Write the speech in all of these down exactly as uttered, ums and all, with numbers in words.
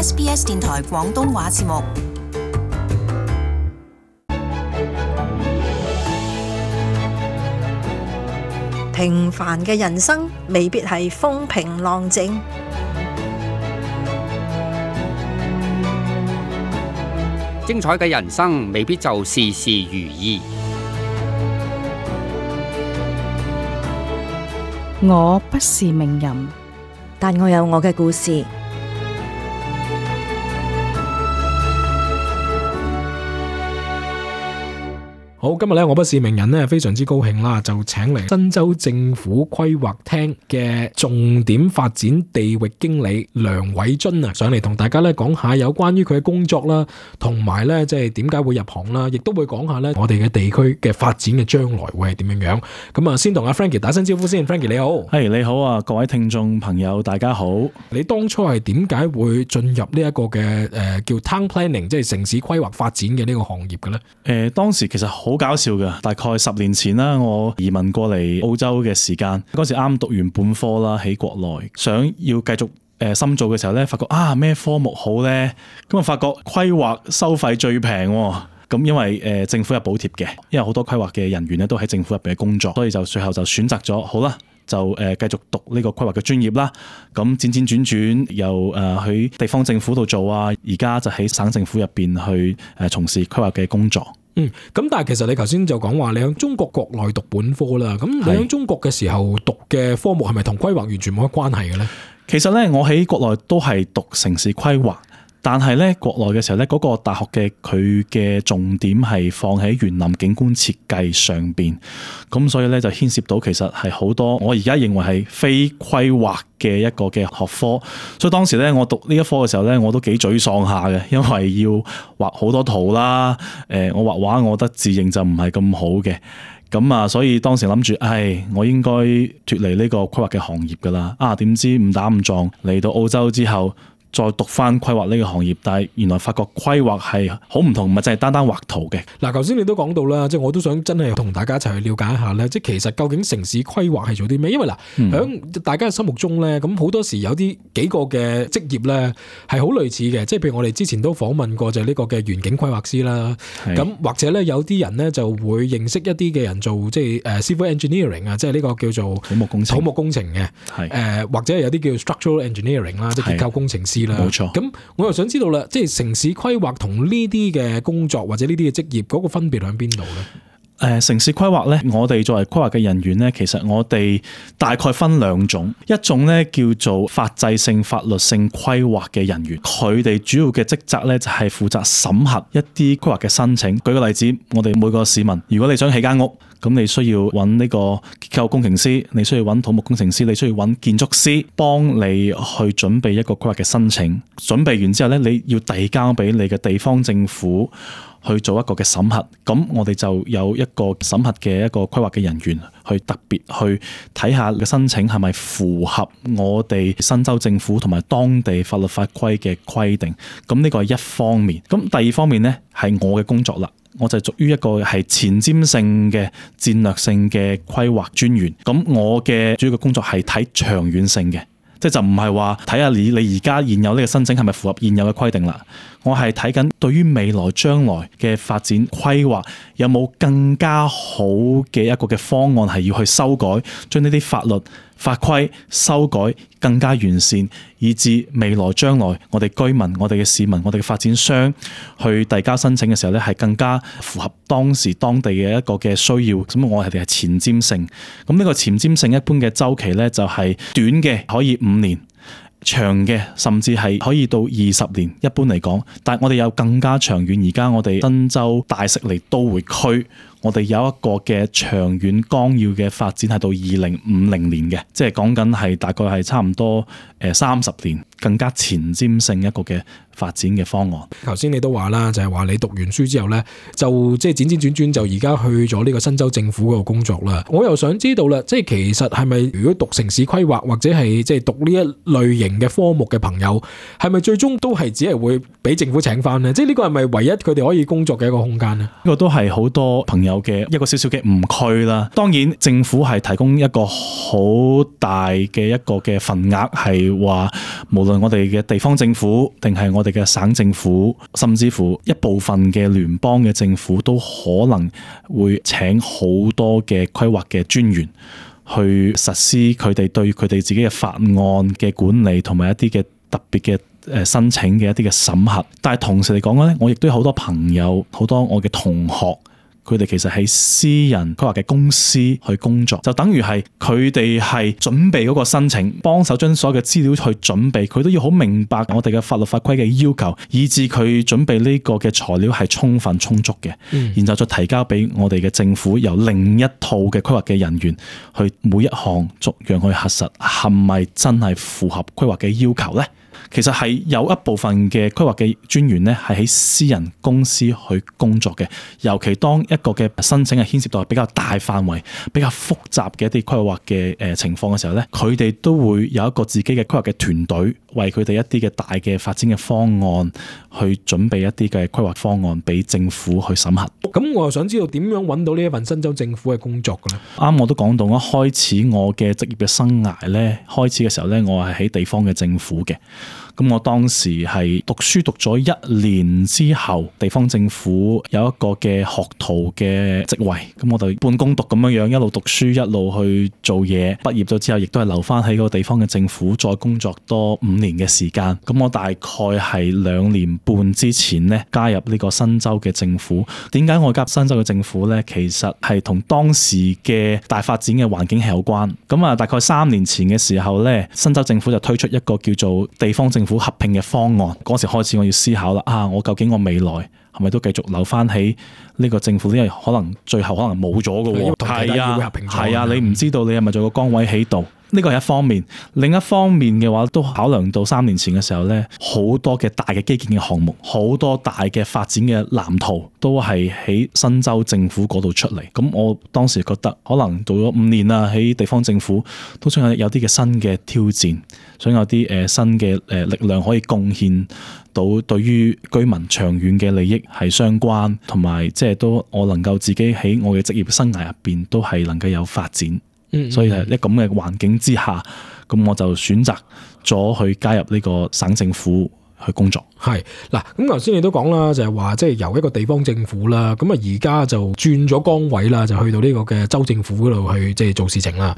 S B S 電台廣東話節目。平凡嘅人生未必係風平浪靜，精彩嘅人生未必就事事如意。我不是名人，但我有我嘅故事。好，今日咧我不是名人咧，非常之高興啦，就請嚟新州政府規劃廳嘅重點發展地域經理梁偉鈞啊，上嚟同大家咧講下有關於佢嘅工作啦，同埋咧即係點解會入行啦，亦都會講下咧我哋嘅地區嘅發展嘅將來會係點樣樣。咁啊，先同阿 Frankie 打聲招呼先。Frankie 你好。係、hey, 你好啊，各位聽眾朋友大家好。你當初係點解會進入呢一個嘅誒、呃、叫 Town Planning， 即係城市規劃發展嘅呢個行業嘅咧？誒、呃，當時其實好搞笑嘅，大概十年前啦，我移民過嚟澳洲嘅時間，嗰時啱讀完本科啦，喺國內想要繼續誒深造嘅時候咧，發覺啊咩科目好咧，咁啊發覺規劃收費最平喎。咁因為誒政府有補貼嘅，因為好多規劃嘅人員咧都喺政府入邊嘅工作，所以就最後就選擇咗好啦，就誒繼續讀呢個規劃嘅專業啦。咁輾轉轉轉又誒喺地方政府度做啊，而家就喺省政府入邊去誒從事規劃嘅工作。嗯，咁但係其實你頭先就講話你喺中國國內讀本科啦，咁你喺中國嘅時候讀嘅科目係咪同規劃完全冇乜關係嘅咧？其實咧，我喺國內都係讀城市規劃。但係咧，國內嘅時候咧，嗰個大學嘅佢嘅重點係放喺園林景觀設計上邊，咁所以咧就牽涉到其實係好多我而家認為係非規劃嘅一個嘅學科，所以當時咧我讀呢一科嘅時候咧，我都幾沮喪下嘅，因為要畫好多圖啦，誒，我畫畫我覺得字形就唔係咁好嘅，咁啊，所以當時諗住，唉，我應該脫離呢個規劃嘅行業噶啦，啊，點知誤打誤撞嚟到澳洲之後，再讀翻規劃呢個行業，但係原來發覺規劃係好唔同，唔係淨係單單畫圖嘅。嗱，頭先你都講到啦，即係我都想真係同大家一齊去了解一下咧，即係其實究竟城市規劃係做啲咩？因為嗱，喺、嗯、大家嘅心目中咧，咁好多時有啲幾個嘅職業咧係好類似嘅，即係譬如我哋之前都訪問過就係呢個嘅園景規劃師啦。咁或者咧有啲人咧就會認識一啲嘅人做即係誒 civil engineering 啊，即係呢個叫做土木工程。土木工程嘅，誒、呃、或者有啲叫 structural engineering 啦，即係結構工程師。冇錯，咁我又想知道啦，即係城市規劃同呢啲嘅工作或者呢啲嘅職業嗰個分別喺邊度咧？誒、呃、城市規劃咧，我哋作為規劃嘅人員咧，其實我哋大概分兩種，一種咧叫做法制性、法律性規劃嘅人員，佢哋主要嘅職責咧就係負責審核一啲規劃嘅申請。舉個例子，我哋每個市民，如果你想起間屋，咁你需要揾呢個結構工程師，你需要揾土木工程師，你需要揾建築師幫你去準備一個規劃嘅申請。準備完之後咧，你要遞交俾你嘅地方政府去做一個嘅審核，咁我哋就有一個審核嘅一個規劃嘅人員去特別去睇下嘅申請係咪符合我哋新州政府同埋當地法律法規嘅規定，咁呢個係一方面。咁第二方面呢，係我嘅工作啦，我就屬於一個係前瞻性嘅戰略性嘅規劃專員，咁我嘅主要嘅工作係睇長遠性嘅。即係就唔係話睇下你你而家現有呢個申請係咪符合現有嘅規定啦，我係睇緊對於未來將來嘅發展規劃有冇更加好嘅一個嘅方案係要去修改，將呢啲法律法規修改更加完善，以至未來將來我哋居民、我哋嘅市民、我哋嘅發展商去遞交申請嘅時候咧，係更加符合當時當地嘅一個嘅需要。咁我哋係前瞻性。咁呢個前瞻性一般嘅周期咧，就係短嘅可以五年，長嘅甚至係可以到二十年。一般嚟講，但係我哋有更加長遠。而家我哋新州大悉尼都會區，我哋有一個嘅長遠綱要嘅發展係到二零五零年嘅，即係講緊係大概係差唔多誒三十年，更加前瞻性一個嘅發展嘅方案。頭先你都話啦，就係話你讀完書之後咧，就即係輾轉轉轉就而家去咗呢個新州政府嗰度工作啦。我又想知道啦，即係其實係咪如果讀城市規劃或者係即係讀呢一類型嘅科目嘅朋友，係咪最終都係只係會俾政府請翻呢？即係呢個係咪唯一佢哋可以工作嘅一個空間呢？呢個都係好多朋友友嘅一個少少嘅誤區啦。當然政府係提供一個好大嘅一個嘅份額，係話無論我哋嘅地方政府定係我哋嘅省政府，甚至乎一部分嘅聯邦嘅政府都可能會請好多嘅規劃嘅專員去實施佢哋對佢哋自己嘅法案嘅管理同埋一啲嘅特別嘅誒申請嘅一啲嘅審核。但係同時嚟講咧，我亦都有好多朋友，好多我嘅同學，佢哋其實喺私人規劃嘅公司去工作，就等於係佢哋係準備嗰個申請，幫手將所有嘅資料去準備，佢都要好明白我哋嘅法律法規嘅要求，以至佢準備呢個嘅材料係充分充足嘅，嗯、然後再提交俾我哋嘅政府，由另一套嘅規劃嘅人員去每一項逐樣去核實係咪真係符合規劃嘅要求呢？其實係有一部分嘅規劃嘅專員咧，係喺私人公司去工作嘅。尤其當一個嘅申請係牽涉到比較大範圍、比較複雜嘅一啲規劃嘅誒情況嘅時候咧，佢哋都會有一個自己嘅規劃嘅團隊，為佢哋一啲嘅大嘅發展嘅方案去準備一啲嘅規劃方案俾政府去審核。咁我又想知道點樣揾到呢一份新州政府嘅工作嘅咧？啱我都講到，一開始我嘅職業嘅生涯咧，開始嘅時候咧，我係喺地方嘅政府嘅。咁我當時係讀書讀咗一年之後，地方政府有一個嘅學徒嘅職位，咁我就半工讀咁樣樣，一路讀書一路去做嘢。畢業咗之後，亦都係留翻喺個地方嘅政府再工作多五年嘅時間。咁我大概係兩年半之前呢，加入呢個新州嘅政府。點解我加入新州嘅政府呢？其實係同當時嘅大發展嘅環境係有關。咁啊，大概三年前嘅時候呢，新州政府就推出一個叫做地方政府合併嘅方案。嗰時開始我要思考啦，啊，我究竟我未來係咪都繼續留翻喺呢個政府？因為可能最後可能冇咗嘅喎。係啊，係啊，你唔知道你係咪仲有個崗位喺度？呢個係一方面，另一方面嘅話都考量到三年前嘅時候呢，好多嘅大嘅基建嘅項目，好多大嘅發展嘅藍圖都係喺新州政府嗰度出嚟。咁我當時覺得可能做咗五年啦，喺地方政府都想有有啲嘅新嘅挑戰，想有啲誒新嘅誒力量可以貢獻到對於居民長遠嘅利益係相關，同埋即係都我能夠自己喺我嘅職業生涯入邊都係能夠有發展。嗯嗯，所以係一咁嘅環境之下，咁我就選擇咗去加入呢個省政府去工作。係嗱，咁頭先你都講啦，就係話即係由一個地方政府啦，咁啊而家就轉咗崗位啦，就去到呢個嘅州政府嗰度去即係做事情啦。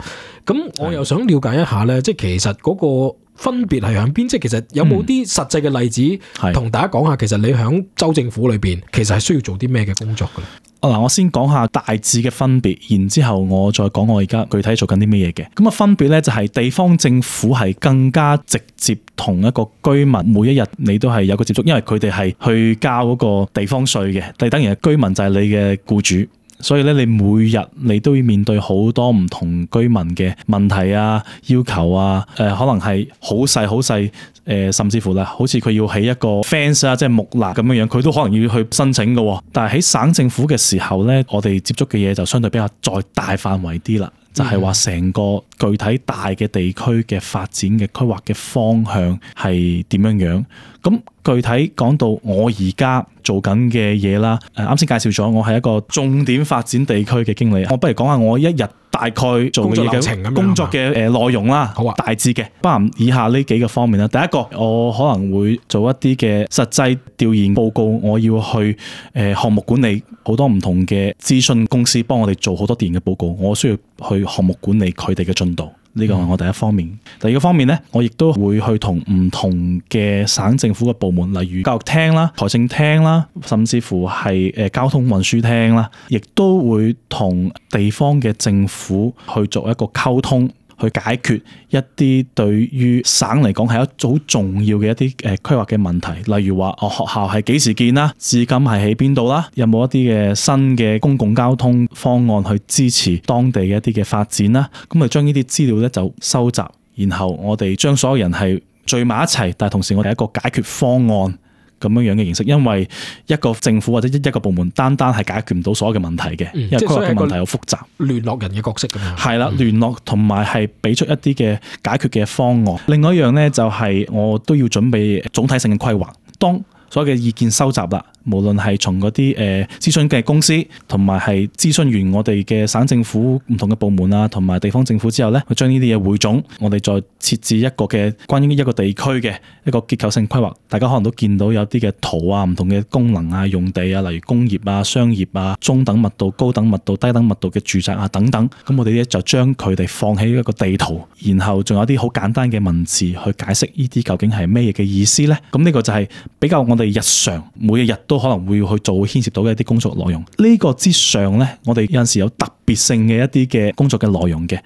咁我又想了解一下咧，即係其實嗰個分別係響邊？即係其實有冇啲實際嘅例子同、嗯、大家講下？其實你響州政府裏邊，其實係需要做啲咩嘅工作嘅咧？嗱，我先講下大致嘅分別，然之後我再講我而家具體做緊啲咩嘢嘅。咁啊，分別咧就係地方政府係更加直接同一個居民每一日你都係有個接觸，因為佢哋係去交嗰個地方稅嘅，但係當然居民就係你嘅僱主。所以咧，你每日你都要面對好多唔同居民嘅問題啊、要求啊，誒、呃、可能係好細好細，誒、呃、甚至乎啦，好似佢要起一個 fence 啊，即係木欄咁樣樣，佢都可能要去申請嘅。但係喺省政府嘅時候咧，我哋接觸嘅嘢就相對比較再大範圍啲啦，就係話成個具體大嘅地區嘅發展嘅規劃嘅方向係點樣樣。咁具體講到我而家做緊嘅嘢啦，誒啱先介紹咗我係一個重點發展地區嘅經理，我不如講下我一日大概做嘅嘢嘅工作嘅誒內容啦，好啊，大致嘅包含以下呢幾個方面啦。第一個，我可能會做一啲嘅實際調研報告，我要去誒項目管理好多唔同嘅諮詢公司幫我哋做好多調研嘅報告，我需要去項目管理佢哋嘅進度。呢個係我第一方面。第二個方面呢，我亦都會去同唔同嘅省政府嘅部門，例如教育廳啦、財政廳啦，甚至乎係誒交通運輸廳啦，亦都會同地方嘅政府去做一個溝通，去解決一啲對於省嚟講係一組好重要嘅一啲誒規劃嘅問題，例如話我學校係幾時建啦，至今係喺邊度啦，有冇一啲嘅新嘅公共交通方案去支持當地嘅一啲嘅發展啦，咁我哋將呢啲資料咧就收集，然後我哋將所有人係聚埋一齊，但係同時我哋一個解決方案咁樣樣嘅形式，因為一個政府或者一個部門單單係解決唔到所有嘅問題嘅，嗯、因為規劃嘅問題好複雜，聯絡人嘅角色咁樣。係啦，聯絡同埋係俾出一啲嘅解決嘅方案。另外一樣咧就係我都要準備總體性嘅規劃，當所有嘅意見收集啦，無論係從嗰啲誒諮詢嘅公司，同埋係諮詢完我哋嘅省政府唔同嘅部門啊，同埋地方政府之後咧，去將呢啲嘢匯總，我哋再設置一個嘅關於一個地區嘅一個結構性規劃。大家可能都見到有啲嘅圖啊，唔同嘅功能啊、用地啊，例如工業啊、商業啊、中等密度、高等密度、低等密度嘅住宅啊等等。咁我哋咧就將佢哋放喺一個地圖，然後仲有啲好簡單嘅文字去解釋呢啲究竟係咩嘅意思咧。咁呢個就係比較我哋日常每一日都可能會去做牽涉到嘅一啲工作內容。呢個之上咧，我哋有陣時有特別性嘅一啲嘅工作嘅內容嘅。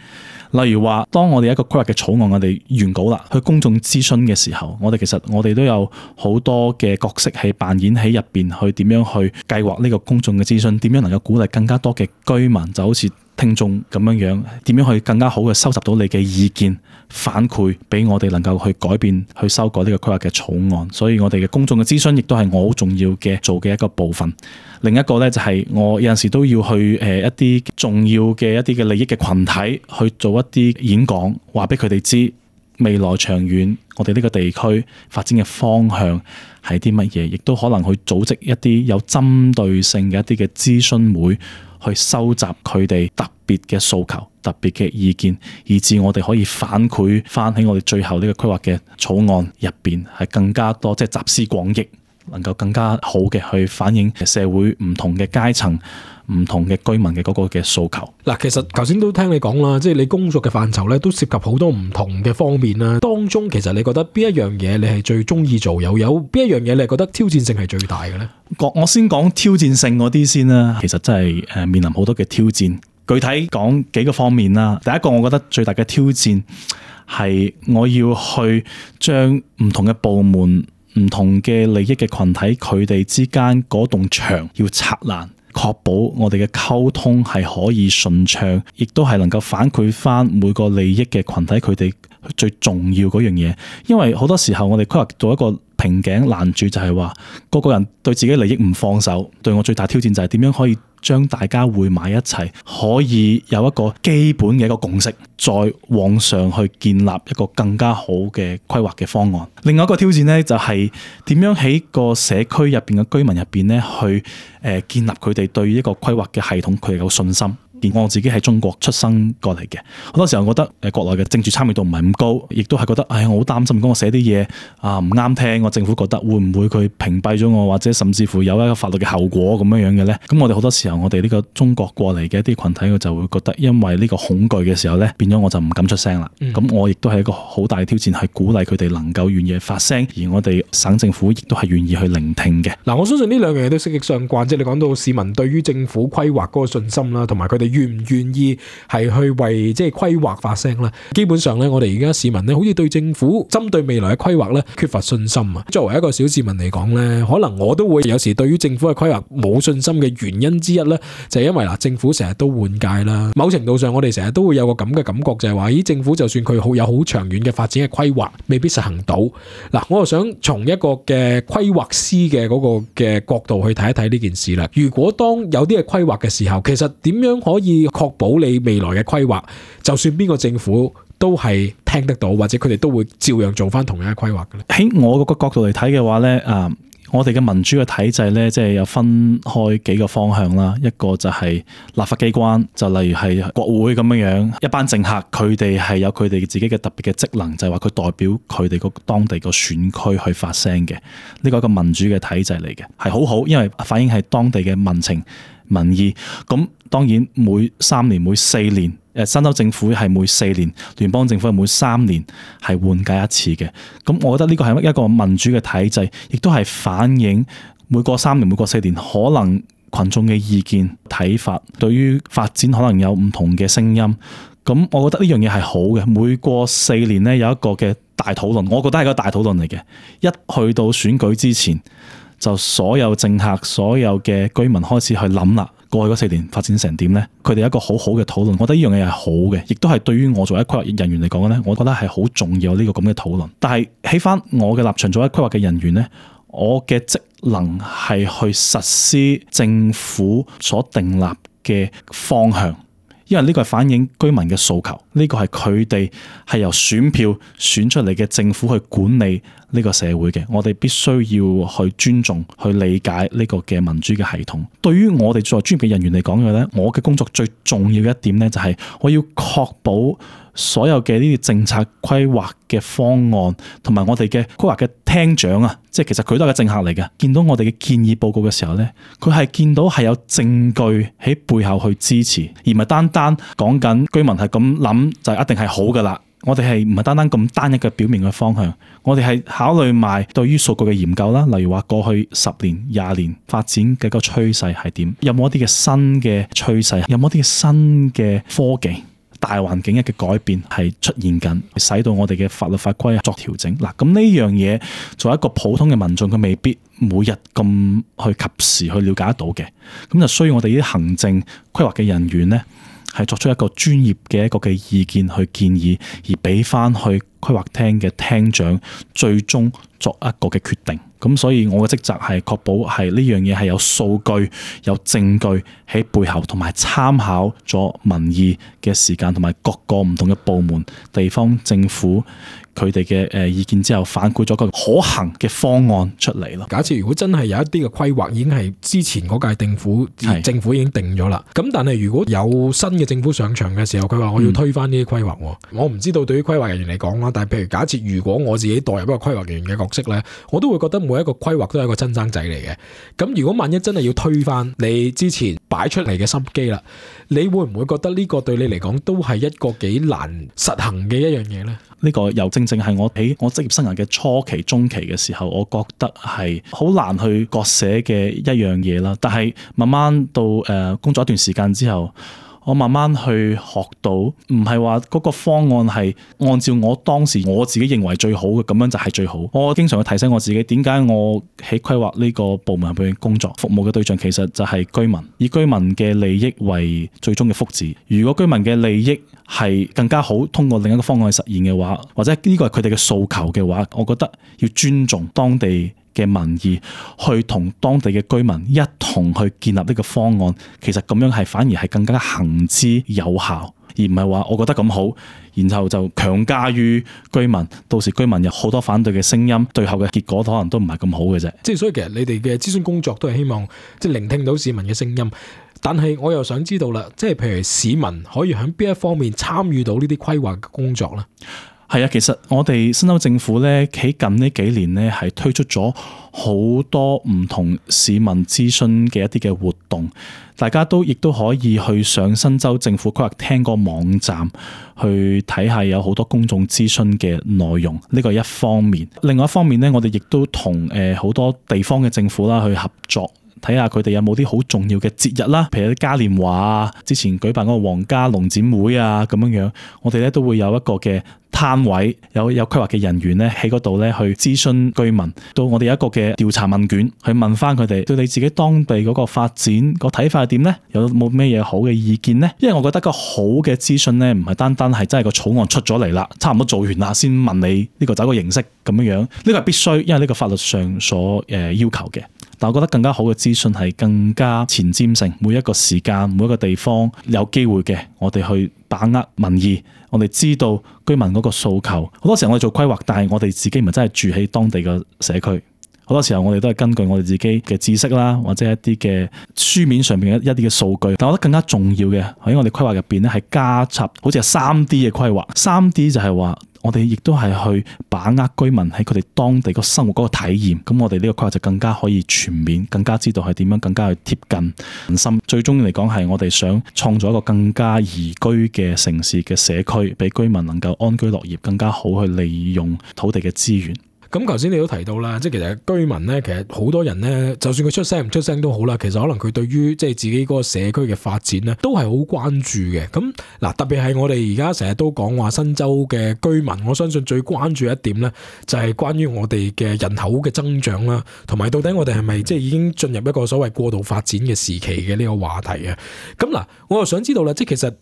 例如話，當我哋一個規劃嘅草案，我哋原稿啦，去公眾諮詢嘅時候，我哋其實我哋都有好多嘅角色係扮演喺入邊，去點樣去計劃呢個公眾嘅諮詢，點樣能夠鼓勵更加多嘅居民，就好似聽眾咁樣樣，點樣去更加好嘅收集到你嘅意見反饋，俾我哋能夠去改變、去修改呢個規劃嘅草案。所以我哋嘅公眾嘅諮詢亦都係我好重要嘅做嘅一個部分。另一個咧就係我有陣時都要去誒一啲重要嘅一啲嘅利益嘅群體去做一啲演講，話俾佢哋知未來長遠我哋呢個地區發展嘅方向係啲乜嘢，亦都可能去組織一啲有針對性嘅一啲嘅諮詢會，去收集佢哋特別嘅訴求、特別嘅意見，以至我哋可以反饋翻喺我哋最後呢個規劃嘅草案入邊係更加多，即係集思廣益，能夠更加好嘅去反映社會唔同嘅階層、唔同嘅居民嘅嗰個嘅訴求。嗱，其實頭先都聽你講啦，即係你工作嘅範疇咧，都涉及好多唔同嘅方面啦。當中其實你覺得邊一樣嘢你係最中意做，又有邊一樣嘢你係覺得挑戰性係最大嘅咧？我先講挑戰性嗰啲先啦。其實真係誒面臨好多嘅挑戰。具體講幾個方面啦。第一個我覺得最大嘅挑戰係我要去將唔同嘅部門、唔同嘅利益嘅群體，佢哋之間嗰棟牆要拆爛，確保我哋嘅溝通係可以順暢，亦都係能夠反饋翻每個利益嘅群體佢哋最重要嗰樣嘢。因為好多時候我哋規劃做一個瓶頸攔住，就係話個個人對自己利益唔放手。對我最大挑戰就係點樣可以將大家匯埋一齊，可以有一個基本嘅一個共識，再往上去建立一個更加好嘅規劃嘅方案。另外一個挑戰呢，就係點樣喺個社區入邊嘅居民入邊呢，去誒建立佢哋對一個規劃嘅系統佢哋有信心。我自己喺中國出生過嚟嘅，好多時候覺得誒國內嘅政治參與度唔係咁高，亦都係覺得唉，我好擔心，如果我寫啲嘢啊唔啱聽，我政府覺得會唔會佢屏蔽咗我，或者甚至乎有一個法律嘅後果咁樣樣嘅咧？咁我哋好多時候，我哋呢個中國過嚟嘅一啲群體，佢就會覺得因為呢個恐懼嘅時候咧，變咗我就唔敢出聲啦。咁、嗯、我亦都係一個好大嘅挑戰，係鼓勵佢哋能夠願意發聲，而我哋省政府亦都係願意去聆聽嘅。嗱，我相信呢兩樣嘢都息息相關，即係你講到市民對於政府規劃嗰個信心啦，同埋佢哋願唔願意係去為即係規劃發聲啦。基本上咧，我哋而家市民咧，好似對政府針對未來嘅規劃咧缺乏信心啊。作為一個小市民嚟講咧，可能我都會有時對於政府嘅規劃冇信心嘅原因之一咧，就係因為嗱，政府成日都換屆啦。某程度上，我哋成日都會有個咁嘅感覺，就係話，咦，政府就算佢好有好長遠嘅發展嘅規劃，未必實行到。嗱，我又想從一個嘅規劃師嘅嗰個嘅角度去睇一睇呢件事啦。如果當有啲嘅規劃嘅時候，其實點樣可以確保你未來嘅規劃，就算邊個政府都係聽得到，或者佢哋都會照樣做翻同樣嘅規劃嘅咧？喺我個角度嚟睇嘅話咧，啊，我哋嘅民主嘅體制咧，即係有分開幾個方向啦。一個就係立法機關，就例如係國會咁樣樣，一班政客佢哋係有佢哋自己嘅特別嘅職能，就係話佢代表佢哋個當地個選區去發聲嘅。呢個係一個民主嘅體制嚟嘅，係好好，因為反映係當地嘅民情民意。咁當然每三年、每四年，誒新州政府係每四年，聯邦政府係每三年係換屆一次嘅。咁我覺得呢個係一個民主嘅體制，亦都係反映每個三年、每個四年可能群眾嘅意見睇法，對於發展可能有唔同嘅聲音。咁我覺得呢樣嘢係好嘅。每過四年咧有一個嘅大討論，我覺得係個大討論嚟嘅。一去到選舉之前，就所有政客、所有嘅居民開始去諗啦，過去嗰四年發展成點呢？佢哋有一個好好嘅討論，我覺得呢樣嘢係好嘅，亦都係對於我作為規劃人員嚟講呢，我覺得係好重要呢個咁嘅討論。但係喺翻我嘅立場，作為規劃嘅人員呢，我嘅職能係去實施政府所訂立嘅方向，因為呢個係反映居民嘅訴求，呢個係佢哋係由選票選出嚟嘅政府去管理呢個社會嘅，我哋必須要去尊重、去理解呢個嘅民主嘅系統。對於我哋作為專業嘅人員嚟講嘅咧，我嘅工作最重要嘅一點咧，就係我要確保所有嘅呢啲政策規劃嘅方案，同埋我哋嘅規劃嘅廳長啊，即係其實佢都係個政客嚟嘅。見到我哋嘅建議報告嘅時候咧，佢係見到係有證據喺背後去支持，而唔係單單講緊居民係咁諗就一定係好噶啦。我哋係唔係單單咁單一嘅表面嘅方向，我哋係考慮埋對於數據嘅研究啦，例如話過去十年、廿年發展嘅個趨勢係點，有冇一啲嘅新嘅趨勢，有冇一啲嘅新嘅科技。大環境一嘅改變係出現緊，使到我哋嘅法律法規作調整。嗱，咁呢樣嘢作為一個普通嘅民眾，佢未必每日咁去及時去了解得到嘅，咁就需要我哋啲行政規劃嘅人員呢，係作出一個專業嘅一個嘅意見去建議，而俾翻去規劃廳嘅廳長最終作一個嘅決定。咁所以我嘅職責係確保係呢樣嘢係有數據、有證據喺背後，同埋參考咗民意嘅時間，同埋各個唔同嘅部門、地方政府佢哋嘅誒意見之後，反饋咗個可行嘅方案出嚟咯。假設如果真係有一啲嘅規劃已經係之前嗰屆政府政府已經定咗啦，咁但係如果有新嘅政府上場嘅時候，佢話我要推翻呢啲規劃，嗯、我唔知道對於規劃人員嚟講啦，但係譬如假設如果我自己代入一個規劃人員嘅角色咧，我都會覺得每一個規劃都係一個親生仔嚟嘅。咁如果萬一真係要推翻你之前擺出嚟嘅心機啦，你會唔會覺得呢個對你嚟講都係一個幾難實行嘅一樣嘢呢？呢個又正正係我喺我職業生涯嘅初期、中期嘅時候，我覺得係好難去割捨嘅一樣嘢啦。但係慢慢到誒工作一段時間之後，我慢慢去學到，唔係話嗰個方案係按照我當時我自己認為最好嘅，咁樣就係最好。我經常去提醒我自己，點解我喺規劃呢個部門入邊工作，服務嘅對象其實就係居民，以居民嘅利益為最終嘅福祉。如果居民嘅利益係更加好，通過另一個方案去實現嘅話，或者呢個係佢哋嘅訴求嘅話，我覺得要尊重當地嘅民意，去同當地嘅居民一同去建立呢個方案，其實咁樣係反而係更加行之有效，而唔係話我覺得咁好，然後就強加於居民，到時居民有好多反對嘅聲音，最後嘅結果可能都唔係咁好嘅啫。即係所以其實你哋嘅諮詢工作都係希望即係聆聽到市民嘅聲音，但係我又想知道啦，即係譬如市民可以喺邊一方面參與到呢啲規劃嘅工作呢？係啊，其實我哋新州政府咧喺近呢幾年咧係推出咗好多唔同市民諮詢嘅一啲嘅活動，大家都亦都可以去上新州政府規劃廳個網站去睇下，有好多公眾諮詢嘅內容。呢個係一方面，另外一方面咧，我哋亦都同誒好多地方嘅政府啦去合作。睇下佢哋有冇啲好重要嘅節日啦，譬如啲嘉年華啊，之前舉辦嗰個皇家農展會啊咁樣樣，我哋咧都會有一個嘅攤位，有有規劃嘅人員咧喺嗰度咧去諮詢居民，到我哋有一個嘅調查問卷去問翻佢哋對你自己當地嗰個發展個睇法係點咧？有冇咩嘢好嘅意見咧？因為我覺得個好嘅諮詢咧，唔係單單係真係個草案出咗嚟啦，差唔多做完啦先問你呢個走個形式咁樣樣，呢個係必須，因為呢個法律上所誒要求嘅。但我覺得更加好嘅資訊係更加前瞻性，每一個時間、每一個地方有機會嘅，我哋去把握民意，我哋知道居民嗰個訴求。好多時候我哋做規劃，但係我哋自己唔係真係住喺當地嘅社區。好多時候我哋都係根據我哋自己嘅知識啦，或者一啲嘅書面上面嘅一啲嘅數據。但我覺得更加重要嘅喺我哋規劃入邊咧，係加插好似係三 D 嘅規劃。三 D 就係話，我哋亦都係去把握居民喺佢哋當地個生活嗰個體驗，咁我哋呢個規劃就更加可以全面，更加知道係點樣，更加去貼近民心。最終嚟講係我哋想創造一個更加宜居嘅城市嘅社區，俾居民能夠安居樂業，更加好去利用土地嘅資源。咁頭先你都提到啦，即係其實居民咧，其實好多人咧，就算佢出聲唔出聲都好啦，其實可能佢對於即係自己嗰個社區嘅發展咧，都係好關注嘅。咁嗱，特別係我哋而家成日都講話新州嘅居民，我相信最關注一點咧，就係關於我哋嘅人口嘅增長啦，同埋到底我哋係咪即係已經進入一個所謂過度發展嘅時期嘅呢個話題啊？咁嗱，我又想知道啦，即係其實誒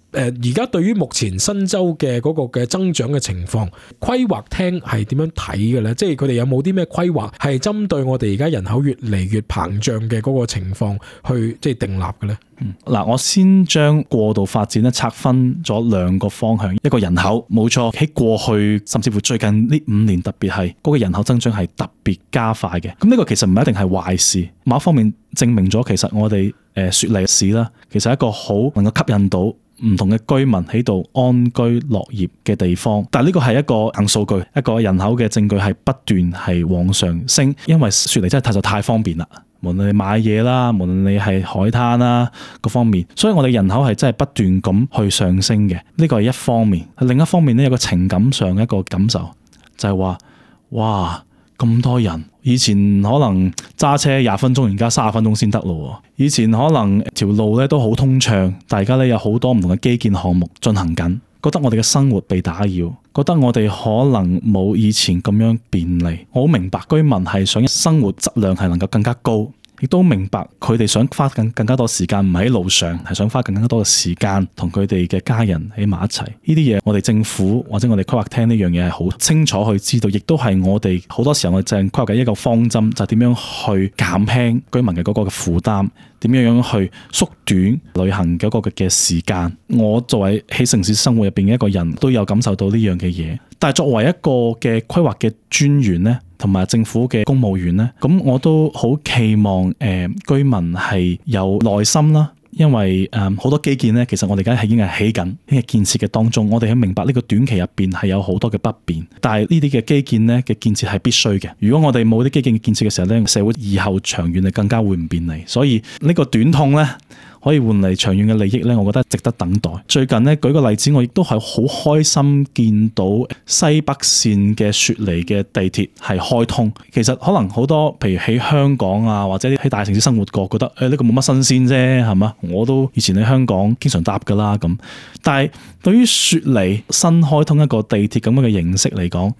而家對於目前新州嘅嗰個嘅增長嘅情況，規劃廳係點樣睇嘅咧？即係係佢哋有冇啲咩規劃係針對我哋而家人口越嚟越膨脹嘅嗰個情況去即係訂立嘅咧？嗱、嗯，我先將過度發展咧拆分咗兩個方向，一個人口冇錯，喺過去甚至乎最近呢五年特別係嗰個人口增長係特別加快嘅。咁呢個其實唔一定係壞事，某一方面證明咗其實我哋誒雪梨市啦，其實係一個好能夠吸引到唔同嘅居民喺度安居樂業嘅地方。但係呢個係一個硬數據，一個人口嘅證據係不斷係往上升，因為雪梨真係太就太方便啦。無論你買嘢啦，無論你係海灘啦，各方面，所以我哋人口係真係不斷咁去上升嘅。呢個係一方面，另一方面咧有個情感上嘅一個感受，就係話，哇咁多人，以前可能揸車廿分鐘，而家三十分鐘先得咯。以前可能條路咧都好通暢，大家咧有好多唔同嘅基建項目進行緊，覺得我哋嘅生活被打擾，覺得我哋可能冇以前咁樣便利。我好明白居民係想生活質量係能夠更加高，亦都明白佢哋想花更更加多時間唔喺路上，係想花更加多嘅時間同佢哋嘅家人喺埋一齊。呢啲嘢我哋政府或者我哋規劃廳呢樣嘢係好清楚去知道，亦都係我哋好多時候我哋正規劃嘅一個方針，就係點樣去減輕居民嘅嗰個嘅負擔，點樣樣去縮短旅行嗰個嘅時間。我作為喺城市生活入邊嘅一個人都有感受到呢樣嘅嘢，但係作為一個嘅規劃嘅專員呢，同埋政府嘅公務員呢，咁我都好期望誒、呃、居民係有耐心啦，因為誒好、呃、多基建呢，其實我哋而家係已經係起緊，已經係建設嘅當中。我哋喺明白呢個短期入邊係有好多嘅不便，但係呢啲嘅基建呢嘅建設係必須嘅。如果我哋冇啲基建嘅建設嘅時候呢，社會以後長遠係更加會唔便利。所以呢個短痛呢，可以換嚟長遠嘅利益呢，我覺得值得等待。最近呢，舉個例子，我亦都係好開心見到西北線嘅雪梨嘅地鐵係開通。其實可能好多譬如喺香港啊，或者喺大城市生活過，覺得誒呢個冇乜新鮮啫，係嘛？我都以前喺香港經常搭㗎啦咁。但係對於雪梨新開通一個地鐵咁樣嘅形式嚟講，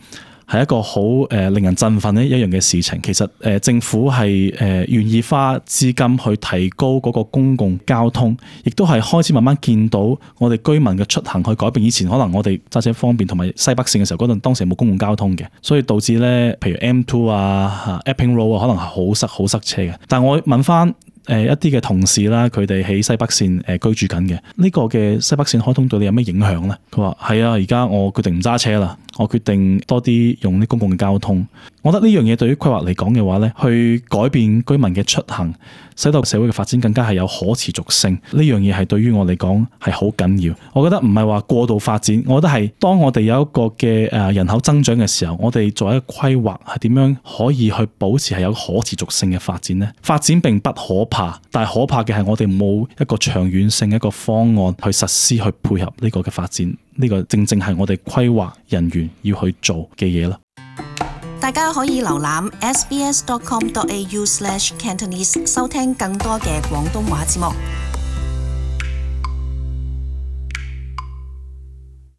係一個好誒令人振奮嘅一樣嘅事情。其實誒、呃、政府係誒願意花資金去提高嗰個公共交通，亦都係開始慢慢見到我哋居民嘅出行去改變。以前可能我哋揸車方便，同埋西北線嘅時候嗰陣當時冇公共交通嘅，所以導致咧譬如 M 二 啊、Epping Road 啊，可能係好塞好塞車嘅。但係我問翻誒一啲嘅同事啦，佢哋喺西北線誒居住緊嘅，呢個嘅西北線開通對你有咩影響咧？佢話係啊，而家我決定唔揸車啦，我決定多啲用啲公共嘅交通。我覺得呢樣嘢對於規劃嚟講嘅話咧，去改變居民嘅出行，使到社會嘅發展更加係有可持續性。呢樣嘢係對於我嚟講係好緊要。我覺得唔係話過度發展，我覺得係當我哋有一個嘅誒人口增長嘅時候，我哋作為一個規劃係點樣可以去保持係有可持續性嘅發展呢？發展並不可怕，但係可怕嘅係我哋冇一個長遠性一個方案去實施去配合呢個嘅發展。呢個正正係我哋規劃人員要去做嘅嘢啦。大家可以瀏覽 s b s dot com dot a u slash cantonese 收聽更多嘅廣東話節目。